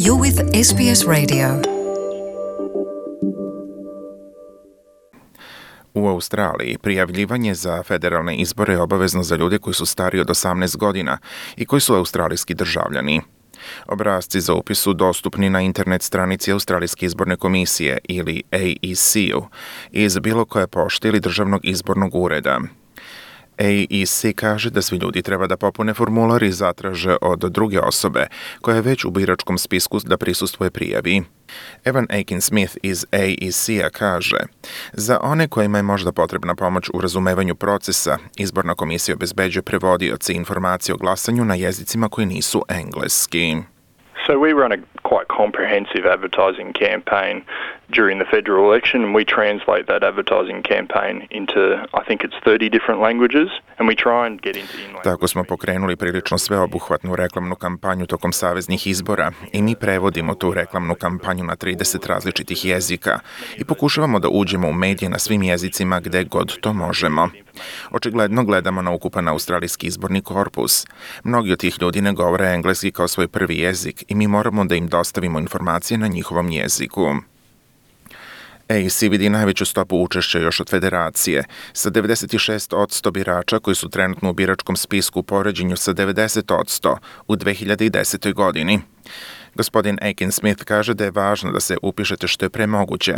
You're with SBS Radio. U Australiji prijavljivanje za federalne izbore je obavezno za ljude koji su stariji od 18 godina i koji su australijski državljani. Obrasci za upis su dostupni na internet stranici Australijske izborne komisije ili AEC-u iz bilo koje pošte ili državnog izbornog ureda. AEC kaže da svi ljudi treba da popune formular i zatraže od druge osobe koja je već u biračkom spisku da prisustvuje prijavi. Evan Aiken-Smith iz AEC-a kaže: za one kojima je možda potrebna pomoć u razumevanju procesa, izborna komisija obezbeđuje prevodioce i informacije o glasanju na jezicima koji nisu engleski. So we run a quite comprehensive advertising campaign during the federal election, and we translate that advertising campaign into, I think it's 30 different languages, and we try and get into in-language. Tako smo pokrenuli prilično sveobuhvatnu reklamnu kampanju tokom saveznih izbora i mi prevodimo tu reklamnu kampanju na 30 različitih jezika i pokušavamo da uđemo u medije na svim jezicima gde god to možemo. Očigledno gledamo na ukupan australijski izborni korpus. Mnogi od tih ljudi ne govore engleski kao svoj prvi jezik i mi moramo da im dostavimo informacije na njihovom jeziku. AEC vidi najveću stopu učešća još od federacije, sa 96% birača koji su trenutno u biračkom spisku u poređenju sa 90% u 2010. godini. Gospodin Aiken-Smith kaže da je važno da se upišete što je pre moguće,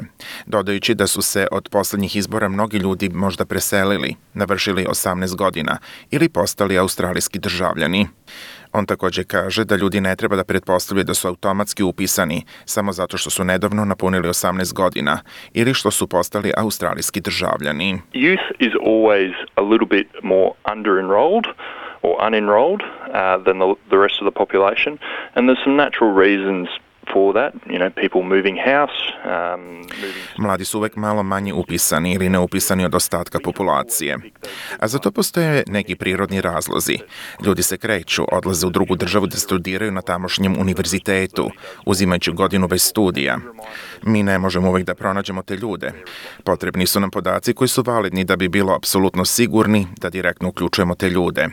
dodajući da su se od poslednjih izbora mnogi ljudi možda preselili, navršili 18 godina ili postali australijski državljani. On također kaže da ljudi ne treba da pretpostavljaju da su automatski upisani samo zato što su nedavno napunili 18 godina ili što su postali australijski državljani. Youth is always a little bit more under-enrolled or unenrolled than the rest of the population, and there's some natural reasons for that, people moving house. Mladi su uvek malo manje upisani ili neupisani od ostatka populacije. A za to postoje neki prirodni razlozi. Ljudi se kreću, odlaze u drugu državu da studiraju na tamošnjem univerzitetu, uzimajući godinu bez studija. Mi ne možemo uvek da pronađemo te ljude. Potrebni su nam podaci koji su validni da bi bilo apsolutno sigurni da direktno uključujemo te ljude.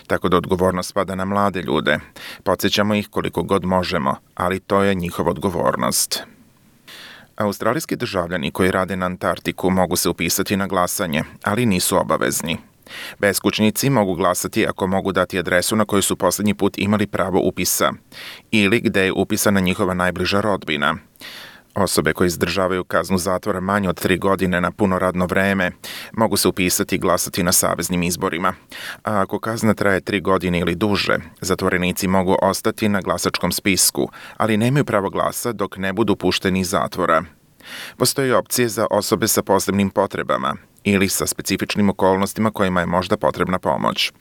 Tako da odgovornost spada na mlade ljude. Podsjećamo ih koliko god možemo, ali to je njihova odgovornost. Australijski državljani koji rade na Antarktiku mogu se upisati na glasanje, ali nisu obavezni. Beskućnici mogu glasati ako mogu dati adresu na kojoj su poslednji put imali pravo upisa ili gde je upisana njihova najbliža rodbina. Osobe koje izdržavaju kaznu zatvora manje od 3 godine na puno radno vreme mogu se upisati i glasati na saveznim izborima. A ako kazna traje 3 godine ili duže, zatvorenici mogu ostati na glasačkom spisku, ali nemaju pravo glasa dok ne budu pušteni iz zatvora. Postoje opcije za osobe sa posebnim potrebama ili sa specifičnim okolnostima kojima je možda potrebna pomoć.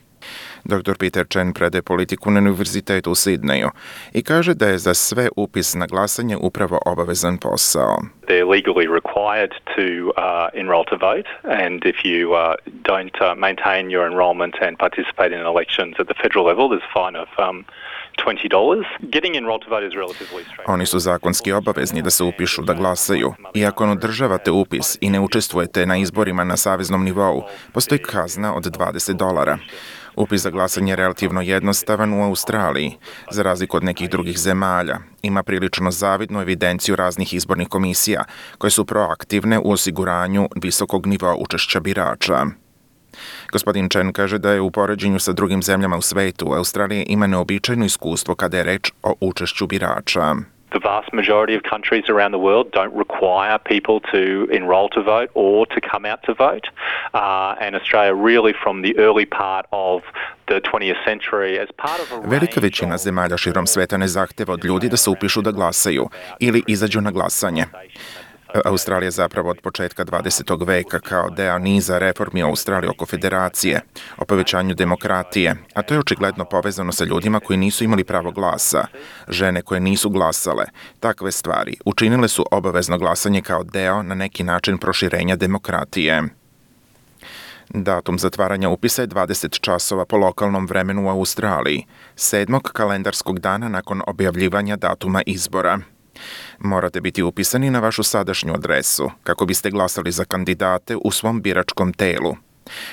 Dr. Peter Chen predaje politiku na Univerzitetu u Sidneju i kaže da je za sve upis na glasanje upravo obavezan posao. They're legally required to enroll to vote, and if you don't maintain your enrollment and participate in elections at the federal level, there's a fine of $20. Getting enrolled to vote is relatively straightforward. Oni su zakonski obavezni da se upišu da glasaju i ako ne održavate upis i ne učestvujete na izborima na saveznom nivou, postoji kazna od $20. Upis za glasanje je relativno jednostavan u Australiji, za razliku od nekih drugih zemalja. Ima prilično zavidnu evidenciju raznih izbornih komisija koje su proaktivne u osiguranju visokog nivoa učešća birača. Gospodin Chen kaže da je u poređenju sa drugim zemljama u svetu, Australija ima neobičajno iskustvo kada je reč o učešću birača. The vast majority of countries around the world don't require people to enroll to vote or to come out to vote. And Australia really from the early part of the 20th century as part of a Velika većina zemalja širom sveta ne zahteva od ljudi da se upišu da glasaju ili izađu na glasanje. Australija zapravo od početka 20. veka kao deo niza reformi u Australiji oko federacije, o povećanju demokratije, a to je očigledno povezano sa ljudima koji nisu imali pravo glasa, žene koje nisu glasale. Takve stvari učinile su obavezno glasanje kao deo na neki način proširenja demokratije. Datum zatvaranja upisa je 20 časova po lokalnom vremenu u Australiji, 7. kalendarskog dana nakon objavljivanja datuma izbora. Morate biti upisani na vašu sadašnju adresu kako biste glasali za kandidate u svom biračkom telu,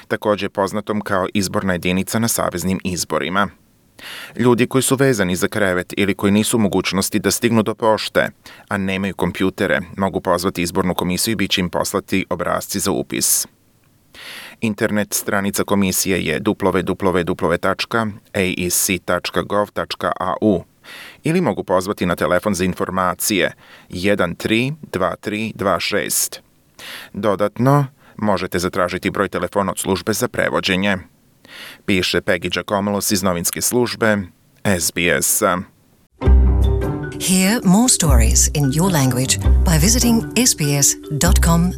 također poznatom kao izborna jedinica na saveznim izborima. Ljudi koji su vezani za krevet ili koji nisu u mogućnosti da stignu do pošte, a nemaju kompjutere, mogu pozvati izbornu komisiju i bit će im poslati obrasci za upis. Internet stranica komisije je www.aec.gov.au ili mogu pozvati na telefon za informacije 132326. Dodatno, možete zatražiti broj telefona od službe za prevođenje. Piše Peggy Giacomolos iz novinske službe SBS. Hear more stories in your language by visiting sbs.com.au.